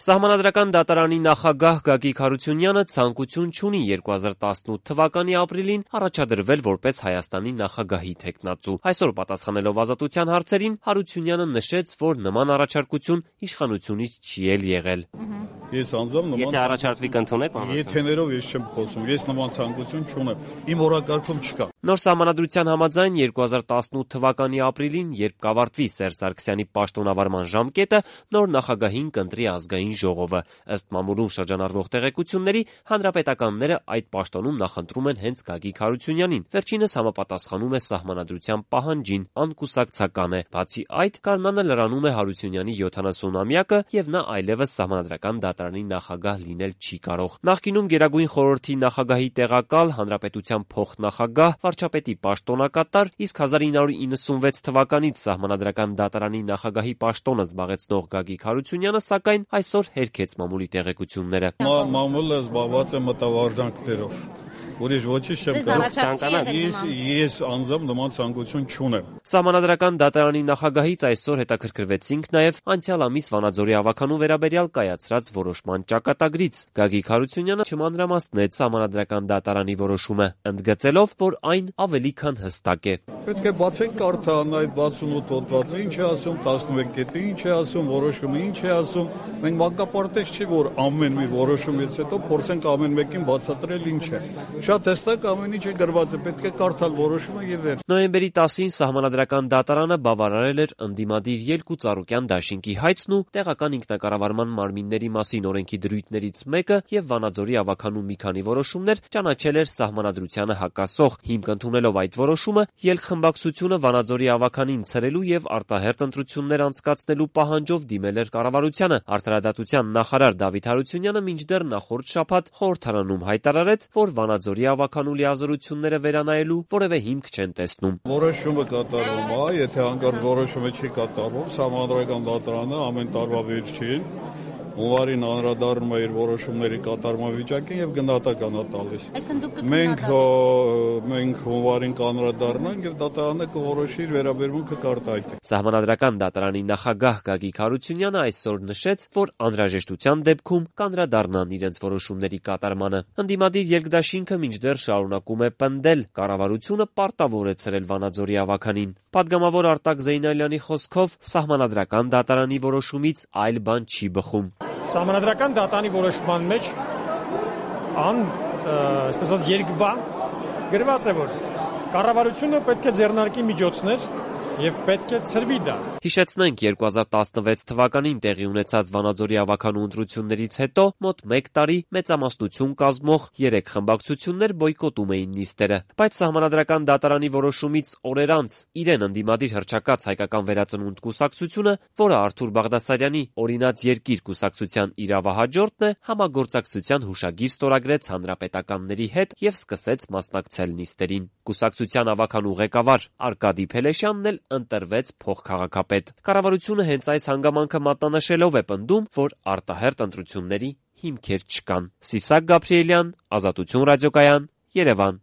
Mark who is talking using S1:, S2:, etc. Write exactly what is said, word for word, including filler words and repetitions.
S1: Սահմանադրական դատարանի նախագահ Գագիկ Հարությունյանը ցանկություն չունի երկու հազար տասնութ թվականի ապրիլին առաջադրվել որպես Հայաստանի նախագահի թեկնածու։ Այսօր պատասխանելով Ազատության հարցերին, Հարությունյանը նշեց, որ նման առաջարկություն իշխանությունից չի էլ եղել։
S2: Ես անձամբ նման
S1: Եթե առաջարկվի կընդունեք,
S2: եթեներով ես չեմ խոսում, ես նման ցանկություն չունեմ, իմ օրակարգում չկա։
S1: Նոր սահմանադրության համաձայն երկու հազար տասնութ թվականի ապրիլին, երբ կավարտվի Սերժ Սարգսյանի պաշտոնավարման ժամկետը, նոր նախագահին կընտրի ազգային ժողովը։ Ըստ մամուլում շրջանառվող տեղեկությունների, հանրապետականները այդ պաշտոնում նախընտրում են հենց Գագիկ Հարությունյանին։ Վերջինս համապատասխանում է սահմանադրության պահանջին, անկուսակցական է։ Բացի այդ, գարնանը լրանում է Հարությունյանի յոթանասունամյակը եւ նա այլևս սահմանադրական դատարանի նախագահ լինել չի կարող։ Նախկինում Գերագույն խորհրդի նախագահի տեղակալ, հանրապետության փոխնախագահ, վարչապետի պաշտոնակատար, իսկ հազար ինը հարյուր իննսունվեց թվականից սահմանադրական դատարանի նախագահի պաշտոնը զբաղեցնող Գագիկ Հարությունյանը, սակայն այսօր հերքեց մամուլի տեղեկությունները։
S2: Մամուլը զբաղված է մտավարժանքներով։ Ուրիշ ոչինչ չեմ կարող։ Ես ես անձամբ նման ցանկություն չունեմ։
S1: Սահմանադրական դատարանի նախագահից այսօր հետաքրքրվեցինք նաև անցյալ ամիս Վանաձորի ավականու վերաբերյալ կայացրած որոշման ճակատագրից։ Գագիկ Հարությունյանը չմանրամասնեց սահմանադրական դատարանի որոշումը, ընդգծելով, որ այն ավելի քան հստակ է։
S2: Պետք է բացենք կարդան այդ վաթսունութ հոդվածը, ինչ է ասում, տասնմեկ կետը ինչ է ասում, որոշումը ինչ է ասում։ Մենք մանկապարտեզ չի, որ ամեն մի որոշումից հետո փորձենք ամեն մեկին բացատրել ինչ է։ Շատ հստակ ամեն ինչ է գրված, պետք է կարդալ որոշումը եւ վերջ։
S1: Նոյեմբերի տասին սահմանադրական դատարանը բավարարել էր ընդդիմադիր Ելք ու Ծառուկյան դաշինքի հայցն ու տեղական ինքնակառավարման մարմինների մասին օրենքի դրույթներից մեկը եւ Վանաձորի ավականու մի քանի որոշումներ ճանաչել էր սահմանադրությանը հակասող։ Հիմք ընդունելով այդ որոշումը, Ելք խմբակցությունը Վանաձորի ավականին ցրելու եւ արտահերթ ընտրություններ անցկացնելու պահանջով դիմել էր կառավարությանը։ Արդարադատության նախարար Դավիթ Հարությունյանը մինչդեռ նախորդ շաբաթ խորհրդարանում հայտարարեց, որ Վանաձորի ավականու լիազորությունները վերանայելու որևէ հիմք չեն տեսնում։
S2: Որոշումը կատարվում է, եթե հանկարծ որոշումը չի կատարվում, սահմանադրական դատարանը ամեն տարվա վերջին հունվարին անդրադառնում է իր որոշումների կատարման վիճակին եւ գնահատական է տալիս։ Մենք մենք հունվարին կանրադառնանք եւ դատարանը կորոշի իր վերաբերմունքը կարտահայտի։
S1: Սահմանադրական դատարանի նախագահ Գագիկ Հարությունյանը այսօր նշեց, որ անհրաժեշտության դեպքում կանրադառնան իրենց որոշումների կատարմանը։ Ընդդիմադիր Երկդաշինքը մինչդեռ շարունակում է պնդել, կառավարությունը պարտավոր է ցրել Վանաձորի ավականին։ Պատգամավոր Արտակ Զեյնալյանի խոսքով սահմանադրական դատարանի որոշումից այլ բան չի բխում։
S3: Սահմանադրական դատարանի որոշման մեջ ան, այսպես ասած, երկբա գրված է, որ կառավարությունը պետք է ձեռնարկի միջոցներ եւ պետք է ցրվի դա։
S1: Հիշեցնենք, երկու հազար տասնվեց թվականին տեղի ունեցած Վանաձորի ավականու ընտրություններից հետո մոտ մեկ տարի մեծամասնություն կազմող երեք խմբակցություններ բոյկոտում էին նիստերը, բայց սահմանադրական դատարանի որոշումից օրեր անց իրեն ընդդիմադիր հռչակած Հայկական վերածնունդ կուսակցությունը, որը Արթուր Բաղդասարյանի օրինաց երկիր կուսակցության իրավահաջորդն է, համագործակցության հուշագիր ստորագրեց հանրապետականների հետ եւ սկսեց մասնակցել նիստերին։ Կուսակցության ավականու ղեկավար Արկադի Փելեշյանն էլ ընտրվեց փոխքաղաքապետ։ Կառավարությունը հենց այս հանգամանքը մատնանշելով է պնդում, որ արտահերթ ընտրությունների հիմքեր չկան։ Սիսակ Գաբրիելյան, Ազատություն ռադիոկայան, Երևան։